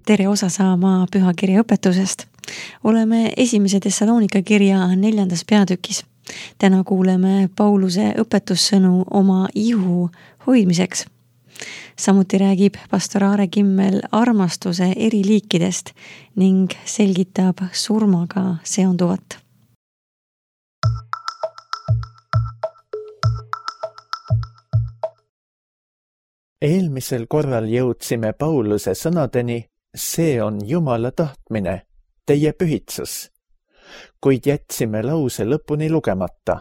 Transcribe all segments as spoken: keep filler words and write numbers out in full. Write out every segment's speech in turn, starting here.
tere osa saama pühakirja õpetusest. Oleme esimese Thessalonika kirja neljandas peatükis. Täna kuuleme Pauluse õpetussõnu oma ihu hoidmiseks. Samuti räägib pastor Aare Kimmel armastuse eri liikidest ning selgitab surmaga seonduvat. Eelmisel korral jõudsime Pauluse sõnadeni, see on Jumala tahtmine, teie pühitsus, kuid jätsime lause lõpuni lugemata.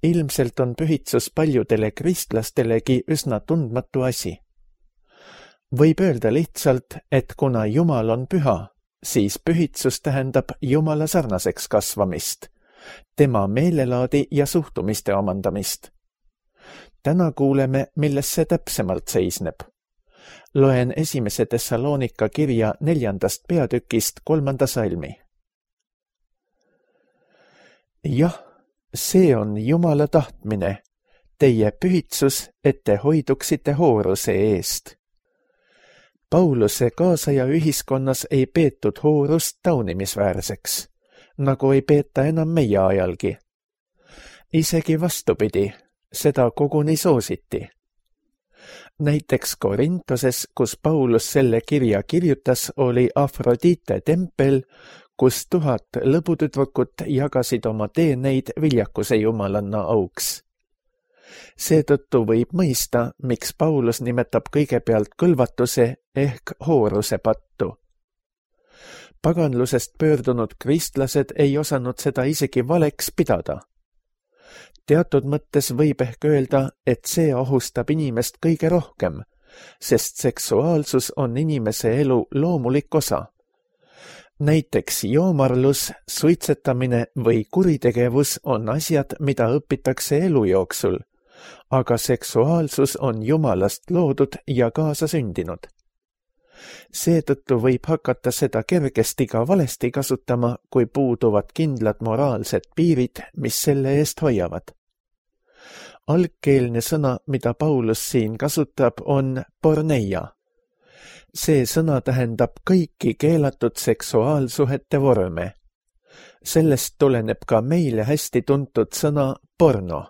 Ilmselt on pühitsus paljudele kristlastelegi üsna tundmatu asi. Võib öelda lihtsalt, et kuna Jumal on püha, siis pühitsus tähendab Jumala sarnaseks kasvamist, tema meelelaadi ja suhtumiste omandamist. Täna kuuleme, milles see täpsemalt seisneb. Loen esimese Thessalonika kirja neljandast peatükist kolmanda salmi. Jah, see on Jumala tahtmine, teie pühitsus, et te hoiduksite hooruse eest. Pauluse kaasaja ühiskonnas ei peetud hoorust taunimisväärseks, nagu ei peeta enam meie ajalgi. Isegi vastupidi, seda koguni soositi. Näiteks Korintoses, kus Paulus selle kirja kirjutas, oli Afrodite tempel, kus tuhat lõbutüdrukut jagasid oma teeneid viljakuse jumalanna auks. Seetõttu võib mõista, miks Paulus nimetab kõigepealt kõlvatuse ehk hooruse pattu. Paganlusest pöördunud kristlased ei osanud seda isegi valeks pidada. Teatud mõttes võib ehk öelda, et see ohustab inimest kõige rohkem, sest seksuaalsus on inimese elu loomulik osa. Näiteks joomarlus, suitsetamine või kuritegevus on asjad, mida õpitakse elu jooksul, aga seksuaalsus on Jumalast loodud ja kaasa sündinud. Seetõttu võib hakata seda kergesti ka valesti kasutama, kui puuduvad kindlad moraalsed piirid, mis selle eest hoiavad. Algkeelne sõna, mida Paulus siin kasutab, on porneia. See sõna tähendab kõiki keelatud seksuaalsuhete vorme. Sellest tuleneb ka meile hästi tuntud sõna porno.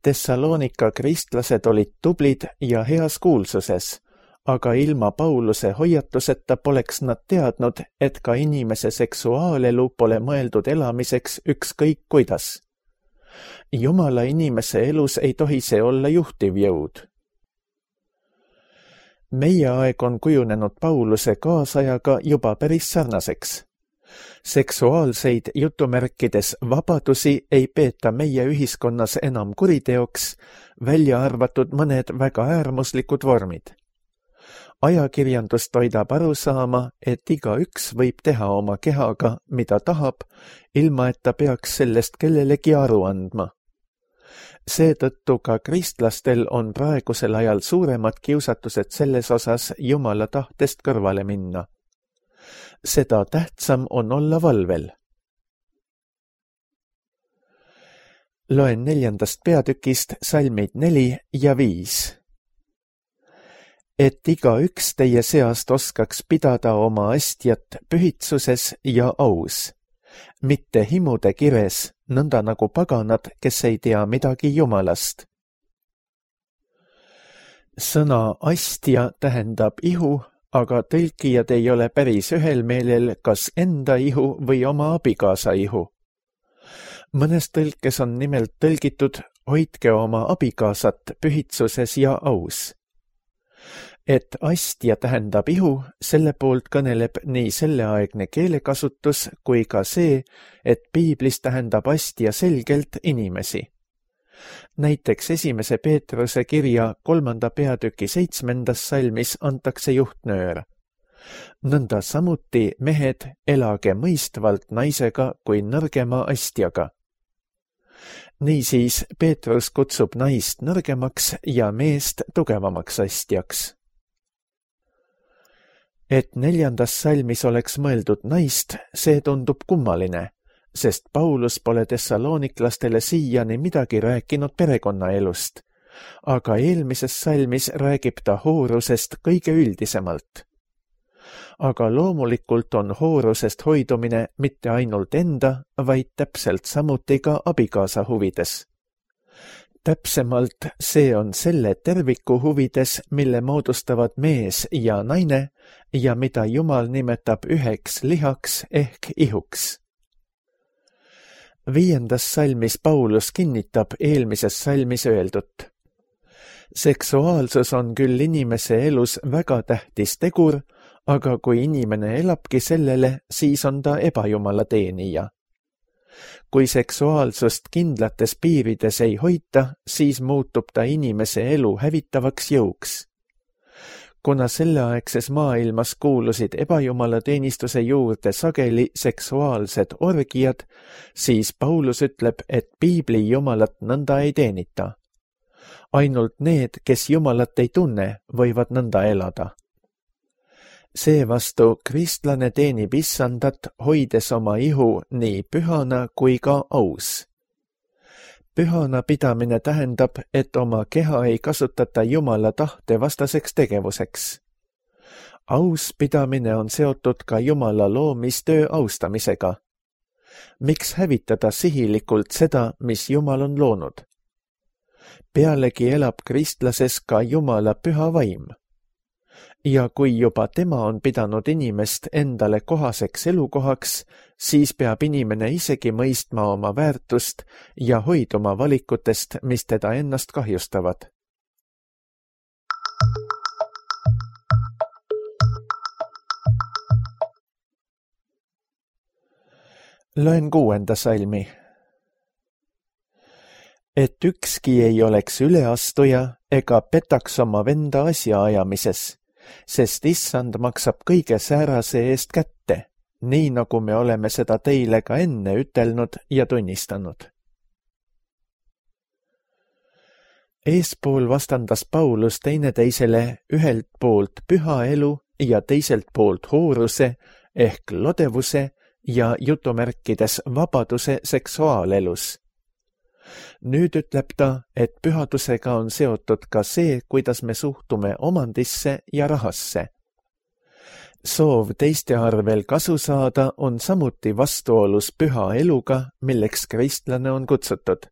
Thessalonika kristlased olid tublid ja heas kuulsuses, aga ilma Pauluse hoiatuseta poleks nad teadnud, et ka inimese seksuaalelu pole mõeldud elamiseks ükskõik kuidas. Jumala inimese elus ei tohi see olla juhtiv jõud. Meie aeg on kujunenud Pauluse kaasajaga juba päris sarnaseks. Seksuaalseid jutumärkides vabadusi ei peeta meie ühiskonnas enam kuriteoks, välja arvatud mõned väga äärmuslikud vormid. Ajakirjandus toidab aru saama, et igaüks võib teha oma kehaga, mida tahab, ilma et ta peaks sellest kellelegi aru andma. Seetõttu ka kristlastel on praegusel ajal suuremad kiusatused selles osas Jumala tahtest kõrvale minna. Seda tähtsam on olla valvel. Loen neljandast peatükist salmid neli ja viis. Et igaüks teie seast oskaks pidada oma astjat pühitsuses ja aus, mitte himude kires, nõnda nagu paganad, kes ei tea midagi Jumalast. Sõna astja tähendab ihu, aga tõlkijad ei ole päris ühel meelel, kas enda ihu või oma abikaasa ihu. Mõnes tõlkes on nimelt tõlgitud, hoidke oma abikaasat pühitsuses ja aus. Et astja tähendab ihu, selle poolt kõneleb nii selleaegne keelekasutus kui ka see, et piiblis tähendab astja selgelt inimesi. Näiteks esimese Peetruse kirja kolmanda peatüki seitsmendas salmis antakse juhtnöör. Nõnda samuti mehed elage mõistvalt naisega kui nõrgema astjaga. Niisiis Peetrus kutsub naist nõrgemaks ja meest tugevamaks astjaks. Et neljandas salmis oleks mõeldud naist, see tundub kummaline, sest Paulus pole tessaloniklastele siiani midagi rääkinud perekonnaelust, aga eelmises salmis räägib ta hoorusest kõige üldisemalt. aga loomulikult on hoorusest hoidumine mitte ainult enda, vaid täpselt samuti ka abikaasa huvides. Täpsemalt see on selle terviku huvides, mille moodustavad mees ja naine ja mida Jumal nimetab üheks lihaks ehk ihuks. Viiendas salmis Paulus kinnitab eelmises salmis öeldut. Seksuaalsus on küll inimese elus väga tähtis tegur, aga kui inimene elabki sellele, siis on ta ebajumala teenija. Kui seksuaalsust kindlates piirides ei hoita, siis muutub ta inimese elu hävitavaks jõuks. Kuna selleaegses maailmas kuulusid ebajumala teenistuse juurde sageli seksuaalsed orgiad, siis Paulus ütleb, et piibli jumalat nõnda ei teenita. Ainult need, kes Jumalat ei tunne, võivad nõnda elada. Seevastu kristlane teenib issandat, hoides oma ihu nii pühana kui ka aus. Pühana pidamine tähendab, et oma keha ei kasutata Jumala tahte vastaseks tegevuseks. Aus pidamine on seotud ka Jumala loomistöö austamisega. Miks hävitada sihilikult seda, mis Jumal on loonud? Pealegi elab kristlases ka Jumala püha vaim. Ja kui juba tema on pidanud inimest endale kohaseks elukohaks, siis peab inimene isegi mõistma oma väärtust ja hoiduma valikutest, mis teda ennast kahjustavad. Loen kuuenda salmi. Et ükski ei oleks üleastuja ega petaks oma venda asjaajamises, sest issand maksab kõige säärase eest kätte, nii nagu me oleme seda teile ka enne ütelnud ja tunnistanud. Eespool vastandas Paulus teineteisele ühelt poolt püha elu ja teiselt poolt hooruse ehk lodevuse ja jutumärkides vabaduse seksuaalelus. Nüüd ütleb ta, et pühadusega on seotud ka see, kuidas me suhtume omandisse ja rahasse. Soov teiste arvel kasu saada on samuti vastuolus püha eluga, milleks kristlane on kutsutud.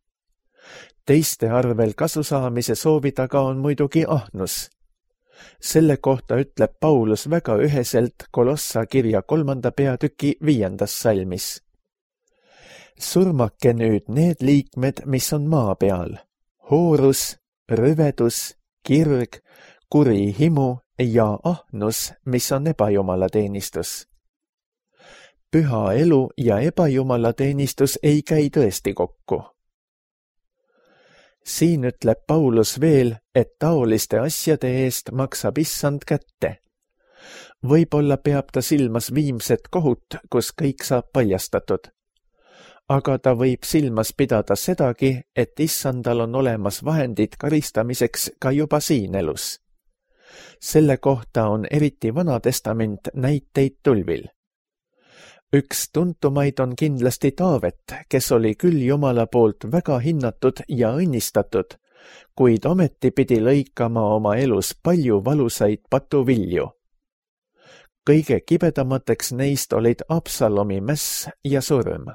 Teiste arvel kasu saamise soovi taga on muidugi ahnus. Selle kohta ütleb Paulus väga üheselt Kolossa kirja kolmanda peatüki viiendas salmis. Surmake nüüd need liikmed, mis on maa peal, hoorus, rõvedus, kirg, kuri himu ja ahnus, mis on ebajumala teenistus. Püha elu ja ebajumala teenistus ei käi tõesti kokku. Siin ütleb Paulus veel, et taoliste asjade eest maksab issand kätte. Võib-olla peab ta silmas viimset kohut, kus kõik saab paljastatud. Aga ta võib silmas pidada sedagi, et issandal on olemas vahendid karistamiseks ka juba siin elus. Selle kohta on eriti Vana Testament näiteid tulvil. Üks tuntumaid on kindlasti Taavet, kes oli küll Jumala poolt väga hinnatud ja õnnistatud, kuid ometi pidi lõikama oma elus palju valusaid patuvilju. Kõige kibedamateks neist olid Absalomi mäss ja surm.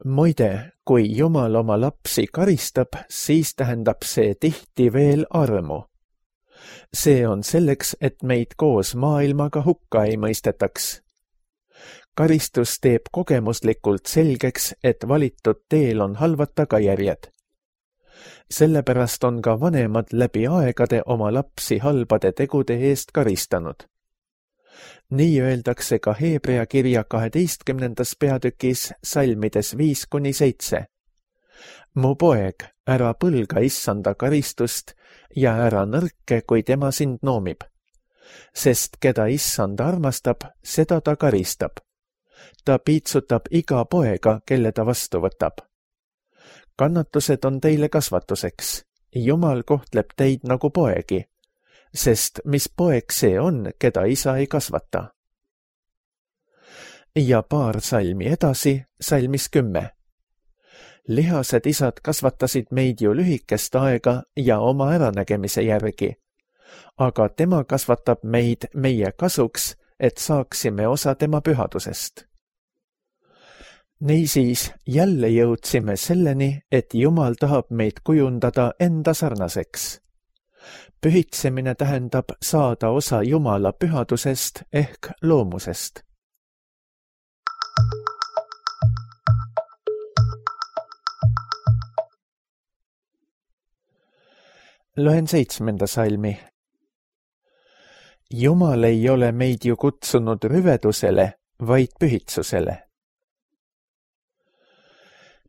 Muide, kui Jumal oma lapsi karistab, siis tähendab see tihti veel armu. See on selleks, et meid koos maailmaga hukka ei mõistetaks. Karistus teeb kogemuslikult selgeks, et valitud teel on halvad tagajärjed. Sellepärast on ka vanemad läbi aegade oma lapsi halbade tegude eest karistanud. Nii öeldakse ka Heebrea kirja kaheteistkümnendas peatükis salmides viis kuni seitse. Mu poeg, ära põlga issanda karistust ja ära nõrke, kui tema sind noomib. Sest keda issand armastab, seda ta karistab. Ta piitsutab iga poega, kelle ta vastu võtab. Kannatused on teile kasvatuseks. Jumal kohtleb teid nagu poegi. Sest mis poeg see on, keda isa ei kasvata? Ja paar salmi edasi, salmis kümme. Lihased isad kasvatasid meid ju lühikest aega ja oma äranägemise järgi. aga tema kasvatab meid meie kasuks, et saaksime osa tema pühadusest. Niisiis jälle jõudsime selleni, et Jumal tahab meid kujundada enda sarnaseks. Pühitsemine tähendab saada osa Jumala pühadusest ehk loomusest. Loen seitsmenda salmi. Jumal ei ole meid ju kutsunud rüvedusele, vaid pühitsusele.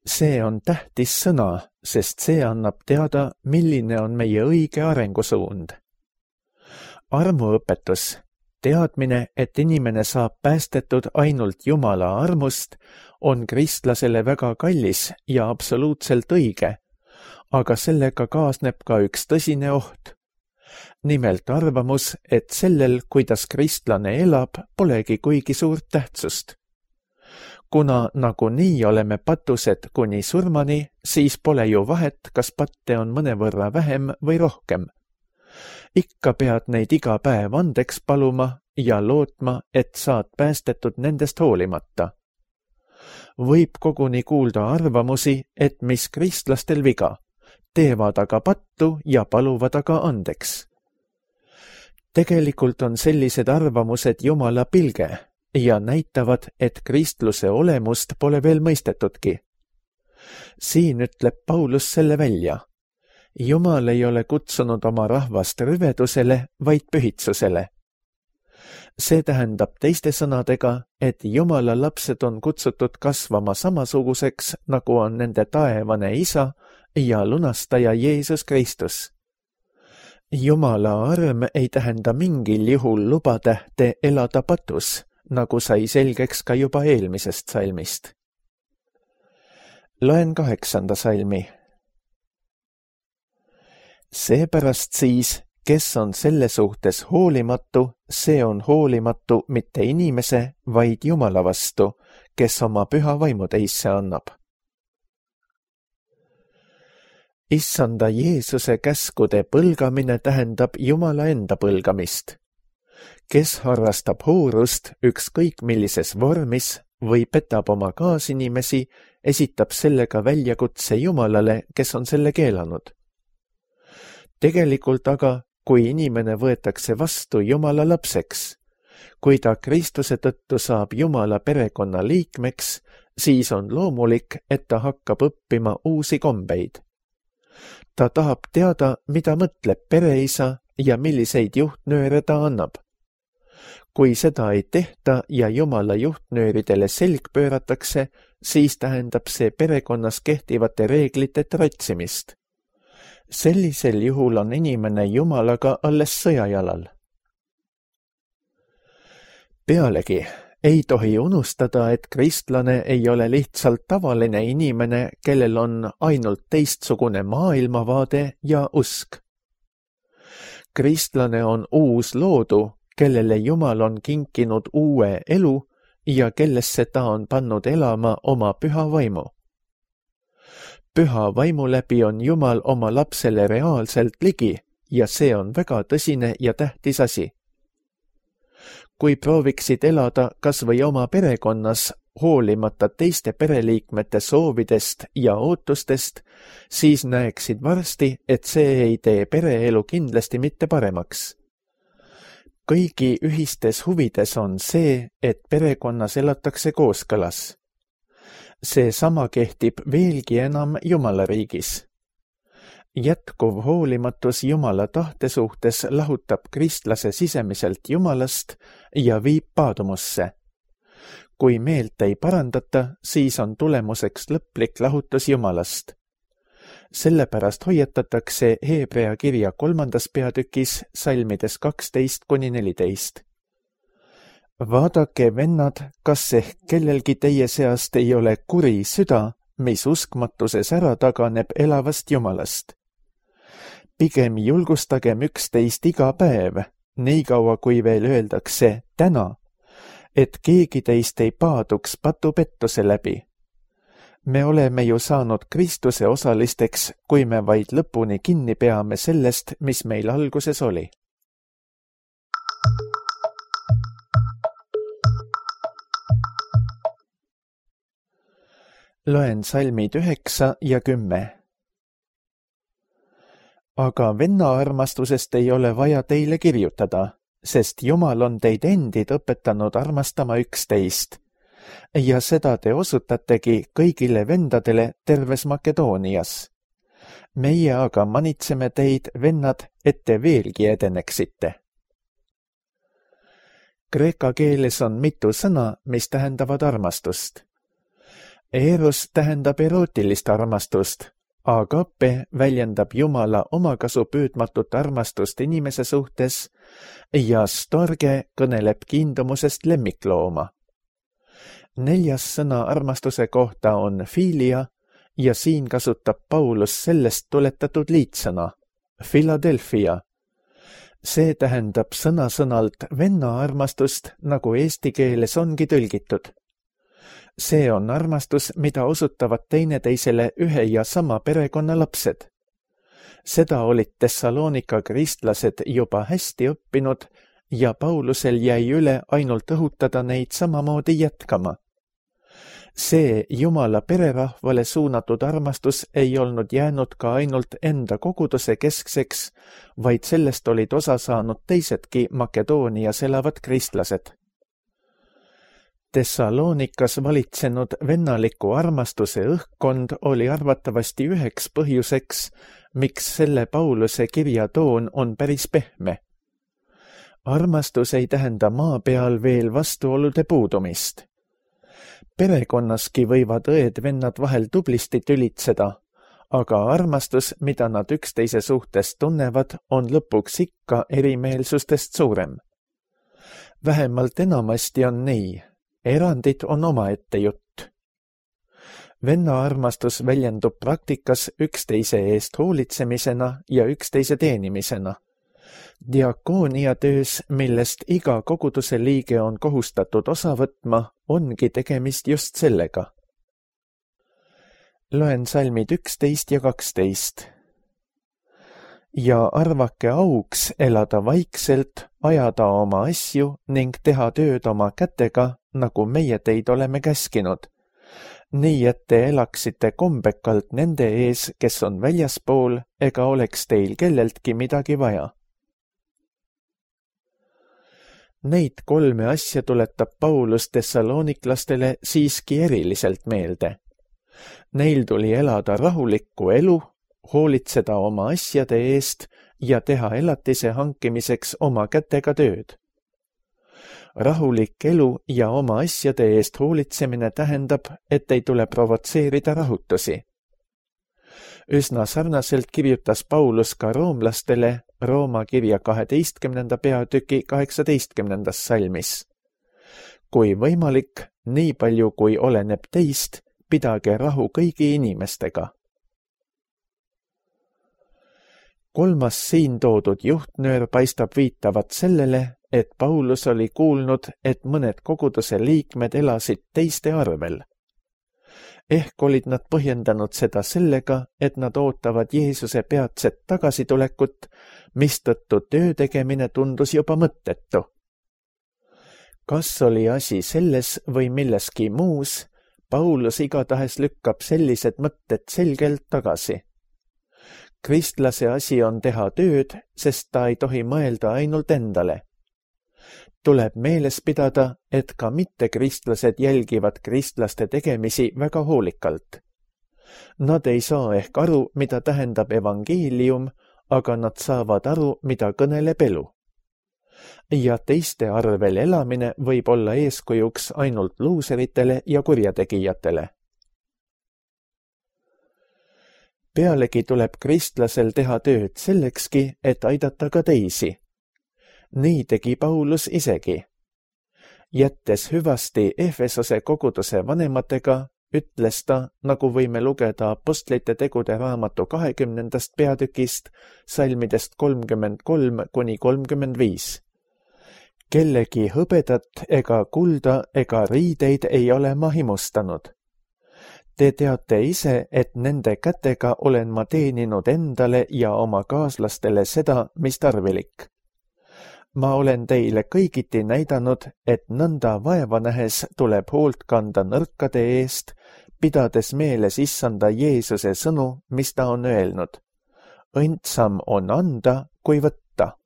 See on tähtis sõna, sest see annab teada, milline on meie õige arengusuund. Armuõpetus, teadmine, et inimene saab päästetud ainult Jumala armust, on kristlasele väga kallis ja absoluutselt õige, aga sellega kaasneb ka üks tõsine oht. Nimelt arvamus, et sellel, kuidas kristlane elab, polegi kuigi suurt tähtsust. Kuna nagunii oleme patused kuni surmani, siis pole ju vahet, kas patte on mõnevõrra vähem või rohkem. Ikka pead neid iga päev andeks paluma ja lootma, et saad päästetud nendest hoolimata. Võib koguni kuulda arvamusi, et mis kristlastel viga, teevad aga pattu ja paluvad aga andeks. Tegelikult on sellised arvamused Jumala pilge ja näitavad, et kristluse olemust pole veel mõistetudki. Siin ütleb Paulus selle välja. Jumal ei ole kutsunud oma rahvast rüvedusele, vaid pühitsusele. See tähendab teiste sõnadega, et Jumala lapsed on kutsutud kasvama samasuguseks, nagu on nende taevane isa ja lunastaja Jeesus Kristus. Jumala arm ei tähenda mingil juhul lubatähte elada patus, nagu sai selgeks ka juba eelmisest salmist. Loen kaheksanda salmi. Seepärast siis, kes on selle suhtes hoolimatu, see on hoolimatu mitte inimese, vaid Jumala vastu, kes oma püha vaimu teisse annab. Issanda Jeesuse käskude põlgamine tähendab Jumala enda põlgamist. Kes harrastab hoorust ükskõik millises vormis või petab oma kaasinimesi, esitab sellega väljakutse Jumalale, kes on selle keelanud. Tegelikult aga, kui inimene võetakse vastu Jumala lapseks, kui ta Kristuse tõttu saab Jumala perekonna liikmeks, siis on loomulik, et ta hakkab õppima uusi kombeid. Ta tahab teada, mida mõtleb pereisa ja milliseid juhtnööre ta annab. Kui seda ei tehta ja Jumala juhtnööridele selg pööratakse, siis tähendab see perekonnas kehtivate reeglite tratsimist. Sellisel juhul on inimene Jumalaga alles sõjajalal. Pealegi ei tohi unustada, et kristlane ei ole lihtsalt tavaline inimene, kellel on ainult teistsugune maailmavaade ja usk. Kristlane on uus loodu, kellele Jumal on kinkinud uue elu ja kellesse ta on pannud elama oma püha vaimu. Püha vaimu läbi on Jumal oma lapsele reaalselt ligi ja see on väga tõsine ja tähtis asi. Kui prooviksid elada kas või oma perekonnas, hoolimata teiste pereliikmete soovidest ja ootustest, siis näeksid varsti, et see ei tee pereelu kindlasti mitte paremaks. Kõigi ühistes huvides on see, et perekonnas elatakse kooskõlas. See sama kehtib veelgi enam Jumala riigis. Jätkuv hoolimatus Jumala tahte suhtes lahutab kristlase sisemiselt Jumalast ja viib paadumusse. Kui meelt ei parandata, siis on tulemuseks lõplik lahutus Jumalast. Sellepärast hoiatatakse Hebrea kirja kolmandas peatükis salmides kaksteist kuni neliteist. Vaadake, vennad, kas ehk kellelgi teie seast ei ole kuri süda, mis uskmatuses ära taganeb elavast Jumalast. Pigem julgustagem üksteist iga päev, nii kaua kui veel öeldakse täna, et keegi teist ei paaduks patupettuse läbi. Me oleme ju saanud Kristuse osalisteks, kui me vaid lõpuni kinni peame sellest, mis meil alguses oli. Loen salmid üheksa ja kümme. Aga venna armastusest ei ole vaja teile kirjutada, sest Jumal on teid endid õpetanud armastama üksteist. Ja seda te osutategi kõigile vendadele terves Makedoonias. Meie aga manitseme teid, vennad, et te veelgi edeneksite. Kreeka keeles on mitu sõna, mis tähendavad armastust. Eros tähendab erootilist armastust, agape väljendab Jumala omakasu püüdmatut armastust inimese suhtes ja storge kõneleb kiindumusest lemmiklooma. Neljas sõna armastuse kohta on filia ja siin kasutab Paulus sellest tuletatud liitsõna, Philadelphia. See tähendab sõna-sõnalt venna armastust, nagu eesti keeles ongi tõlgitud. See on armastus, mida osutavad teineteisele ühe ja sama perekonna lapsed. Seda olid Thessalonika kristlased juba hästi õppinud ja Paulusel jäi üle ainult õhutada neid samamoodi jätkama. See Jumala pererahvale suunatud armastus ei olnud jäänud ka ainult enda koguduse keskseks, vaid sellest olid osa saanud teisedki Makedoonias elavad kristlased. Thessaloonikas valitsenud vennaliku armastuse õhkkond oli arvatavasti üheks põhjuseks, miks selle Pauluse kirja toon on päris pehme. Armastus ei tähenda maa peal veel vastuolude puudumist. Perekonnaski võivad õed-vennad vahel tublisti tülitseda, aga armastus, mida nad üksteise suhtes tunnevad, on lõpuks ikka erimeelsustest suurem. Vähemalt enamasti on nii. Erandid on omaette jutt. Venna armastus väljendub praktikas üksteise eest hoolitsemisena ja üksteise teenimisena. Diakoonia töös, millest iga koguduse liige on kohustatud osa võtma, ongi tegemist just sellega. Loen salmid üksteist ja kaksteist. Ja arvake auks elada vaikselt, ajada oma asju ning teha tööd oma kätega, nagu meie teid oleme käskinud, nii et te elaksite kombekalt nende ees, kes on väljaspool, ega oleks teil kelleltki midagi vaja. Neid kolme asja tuletab Paulus thessaloniklastele siiski eriliselt meelde. Neil tuli elada rahulikku elu, hoolitseda oma asjade eest ja teha elatise hankimiseks oma kätega tööd. Rahulik elu ja oma asjade eest hoolitsemine tähendab, et ei tule provotseerida rahutusi. Üsna sarnaselt kirjutas Paulus ka roomlastele Rooma kirja kaheteistkümnenda peatüki kaheksateistkümnendas salmis. Kui võimalik, nii palju kui oleneb teist, pidage rahu kõigi inimestega. Kolmas siin toodud juhtnöör paistab viitavat sellele, et Paulus oli kuulnud, et mõned koguduse liikmed elasid teiste arvel. Ehk olid nad põhjendanud seda sellega, et nad ootavad Jeesuse peatset tagasitulekut, mistõttu töö tegemine tundus juba mõttetu. Kas oli asi selles või milleski muus, Paulus igatahes lükkab sellised mõtted selgelt tagasi. Kristlase asi on teha tööd, sest ta ei tohi mõelda ainult endale. Tuleb meeles pidada, et ka mittekristlased jälgivad kristlaste tegemisi väga hoolikalt. Nad ei saa ehk aru, mida tähendab evangeelium, aga nad saavad aru, mida kõneleb elu. Ja teiste arvel elamine võib olla eeskujuks ainult luuseritele ja kurjategijatele. Pealegi tuleb kristlasel teha tööd sellekski, et aidata ka teisi. Nii tegi Paulus isegi. Jättes hüvasti Efesose koguduse vanematega, ütles ta, nagu võime lugeda Apostlite tegude raamatu kahekümnendast peatükist, salmidest kolmkümmend kolm kuni kolmkümmend viis. Kellegi hõbedat ega kulda ega riideid ei ole ma himustanud. Te teate ise, et nende kätega olen ma teeninud endale ja oma kaaslastele seda, mis tarvilik. Ma olen teile kõigiti näidanud, et nõnda vaeva nähes tuleb hoolt kanda nõrkade eest, pidades meeles issanda Jeesuse sõnu, mis ta on öelnud. Õndsam on anda, kui võtta.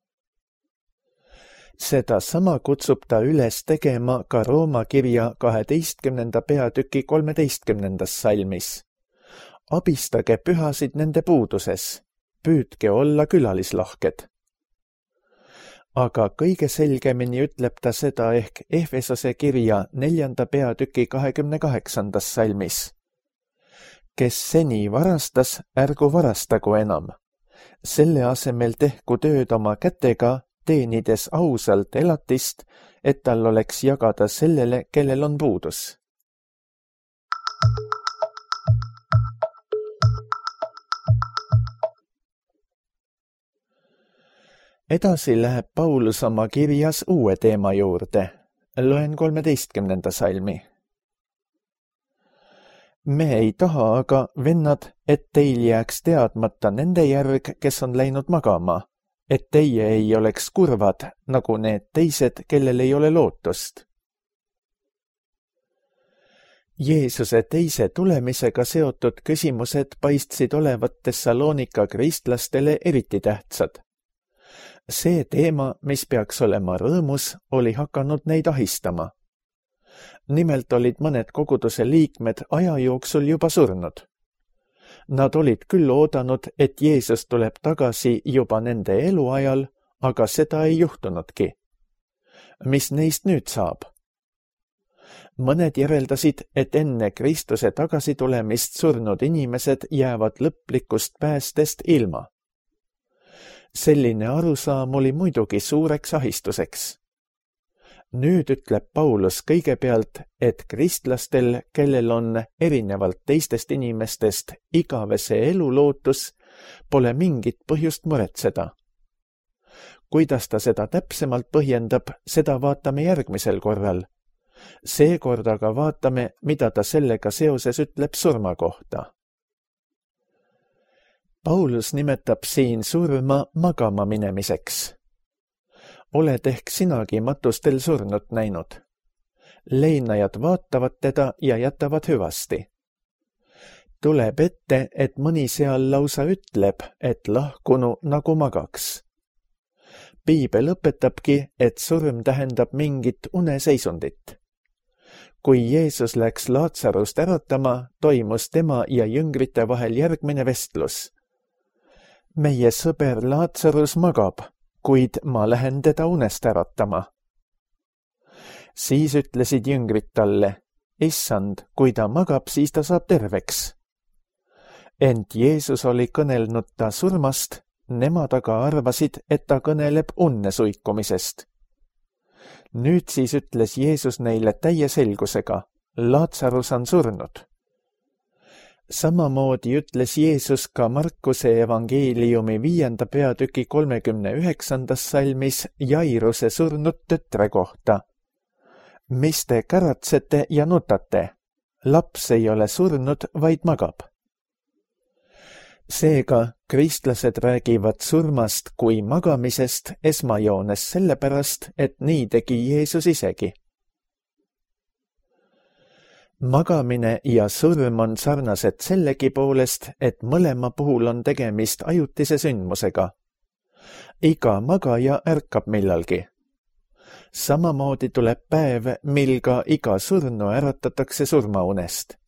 Seda sama kutsub ta üles tegema ka Rooma kirja kaheteistkümnenda peatüki kolmeteistkümnendas salmis. Abistage pühasid nende puuduses, püüdke olla külalislahked. Aga kõige selgemini ütleb ta seda ehk Efesose kirja neljanda peatüki kahekümne kaheksandas salmis. Kes seni varastas, ärgu varastagu enam. Selle asemel tehku tööd oma kätega, teenides ausalt elatist, et tal oleks jagada sellele, kellel on puudus. Edasi läheb Paulus oma kirjas uue teema juurde. Loen kolmeteistkümnenda salmi. Me ei taha aga, vennad, et teil jääks teadmata nende järg, kes on läinud magama, et teie ei oleks kurvad, nagu need teised, kellel ei ole lootust. Jeesuse teise tulemisega seotud küsimused paistsid olevat Thessalonika kristlastele eriti tähtsad. See teema, mis peaks olema rõõmus, oli hakanud neid ahistama. Nimelt olid mõned koguduse liikmed aja jooksul juba surnud. Nad olid küll oodanud, et Jeesus tuleb tagasi juba nende eluajal, aga seda ei juhtunudki. Mis neist nüüd saab? Mõned järeldasid, et enne Kristuse tagasitulemist surnud inimesed jäävad lõplikust päästest ilma. Selline arusaam oli muidugi suureks ahistuseks. Nüüd ütleb Paulus kõigepealt, et kristlastel, kellel on erinevalt teistest inimestest igavese elu lootus, pole mingit põhjust muretseda. Kuidas ta seda täpsemalt põhjendab, seda vaatame järgmisel korral. Seekord aga vaatame, mida ta sellega seoses ütleb surma kohta. Paulus nimetab siin surma magama minemiseks. Oled ehk sinagi matustel surnut näinud. Leinajad vaatavad teda ja jätavad hüvasti. Tuleb ette, et mõni seal lausa ütleb, et lahkunu nagu magaks. Piibel õpetabki, et surm tähendab mingit uneseisundit. Kui Jeesus läks Laatsarust äratama, toimus tema ja jüngrite vahel järgmine vestlus. Meie sõber Laatsarus magab, kuid ma lähen teda unest äratama. Siis ütlesid jüngrid talle, issand, kui ta magab, siis ta saab terveks. Ent Jeesus oli kõnelnud ta surmast, nemad aga arvasid, et ta kõneleb unne suikumisest. Nüüd siis ütles Jeesus neile täie selgusega, Laatsarus on surnud. Samamoodi ütles Jeesus ka Markuse evangeeliumi viienda peatüki kolmekümne üheksandas salmis Jairuse surnud tütre kohta. Mis te käratsete ja nutate? Laps ei ole surnud, vaid magab. Seega, kristlased räägivad surmast kui magamisest esmajoones sellepärast, et nii tegi Jeesus isegi. Magamine ja surm on sarnased sellegi poolest, et mõlema puhul on tegemist ajutise sündmusega. Iga magaja ärkab millalgi. Samamoodi tuleb päev, mil ka iga surnu äratatakse surmaunest.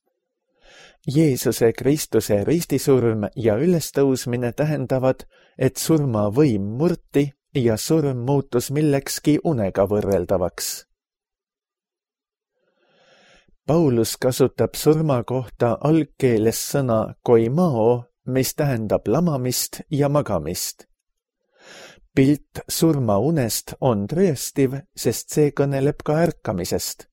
Jeesuse Kristuse ristisurm ja ülestõusmine tähendavad, et surma võim murti ja surm muutus millekski unega võrreldavaks. Paulus kasutab surma kohta algkeeles sõna koimao, mis tähendab lamamist ja magamist. Pilt surmaunest on tõestiv, sest see kõneleb ka ärkamisest.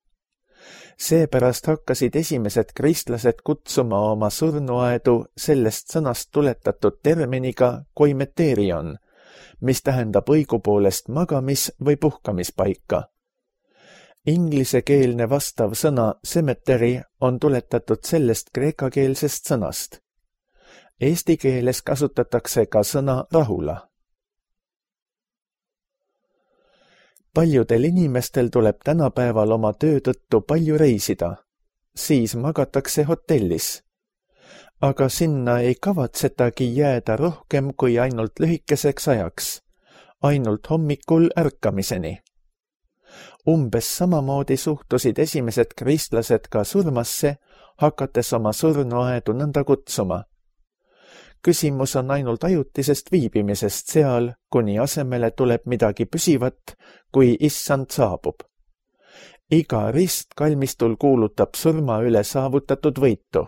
Seepärast hakkasid esimesed kristlased kutsuma oma surnuaedu sellest sõnast tuletatud terminiga koimeterion, mis tähendab õigupoolest magamis- või puhkamispaika. Inglisekeelne vastav sõna cemetery on tuletatud sellest kreekakeelsest sõnast. Eesti keeles kasutatakse ka sõna rahula. Paljudel inimestel tuleb tänapäeval oma töö tõttu palju reisida. siis magatakse hotellis. Aga sinna ei kavatsetagi jääda rohkem kui ainult lühikeseks ajaks, ainult hommikul ärkamiseni. Umbes samamoodi suhtusid esimesed kristlased ka surmasse, hakates oma surnuaedu nõnda kutsuma. Küsimus on ainult ajutisest viibimisest seal, kuni asemele tuleb midagi püsivat, kui issand saabub. Iga rist kalmistul kuulutab surma üle saavutatud võitu.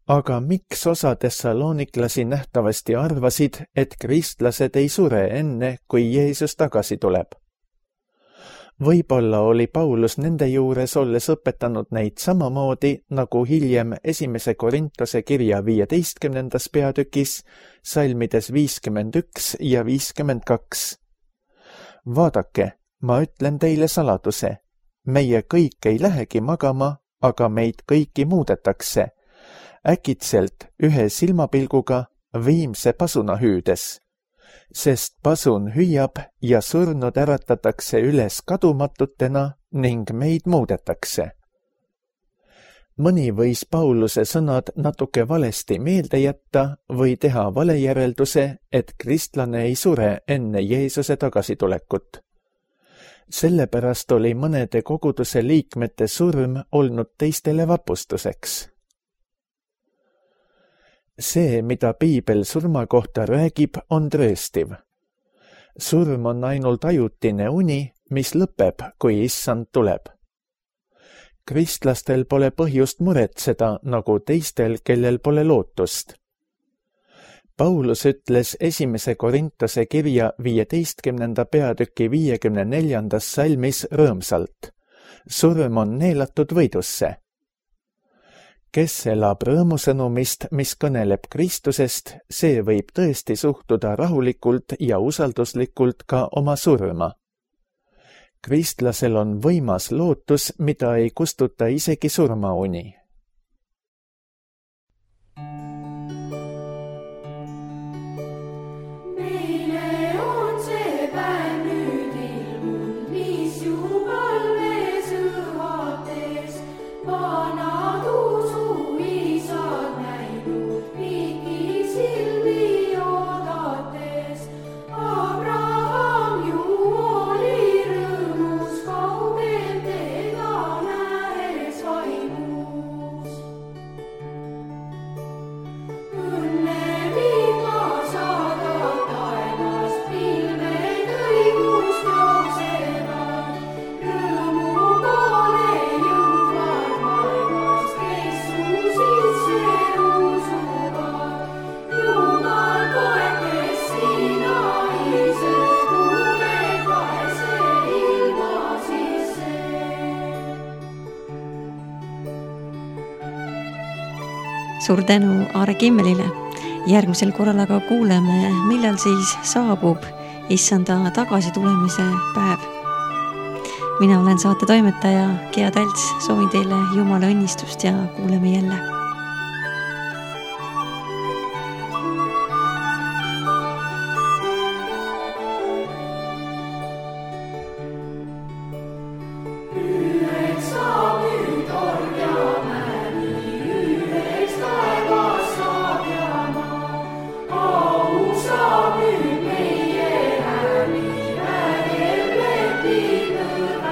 Aga miks osa tesalooniklasi nähtavasti arvasid, et kristlased ei sure enne, kui Jeesus tagasi tuleb? Võib-olla oli Paulus nende juures olles õpetanud neid samamoodi, nagu hiljem esimese Korintuse kirja viieteistkümnendas peatükis, salmides viiskümmend üks ja viiskümmend kaks. Vaadake, ma ütlen teile saladuse. Meie kõik ei lähegi magama, aga meid kõiki muudetakse. Äkitselt ühe silmapilguga viimse pasuna hüüdes. Sest pasun hüüab ja surnud äratatakse üles kadumatutena ning meid muudetakse. Mõni võis Pauluse sõnad natuke valesti meelde jätta või teha valejärelduse, et kristlane ei sure enne Jeesuse tagasitulekut. Sellepärast oli mõnede koguduse liikmete surm olnud teistele vapustuseks. See, mida Piibel surma kohta räägib, on tõestiv. Surm on ainult ajutine uni, mis lõpeb, kui issand tuleb. Kristlastel pole põhjust muretseda, nagu teistel, kellel pole lootust. Paulus ütles esimese Korintuse kirja viieteistkümnenda peatüki viiekümne neljandas salmis rõõmsalt. Surm on neelatud võidusse. Kes elab rõõmusõnumist, mis kõneleb Kristusest, see võib tõesti suhtuda rahulikult ja usalduslikult ka oma surma. Kristlasel on võimas lootus, mida ei kustuta isegi surmauni. Suur tänu Aare Kimmelile. Järgmisel korral aga kuuleme, millal siis saabub issanda tagasitulemise päev. Mina olen saate toimetaja Gea Talts, soovin teile Jumala õnnistust ja kuuleme jälle. Meie ääni äärel lepib nõrga.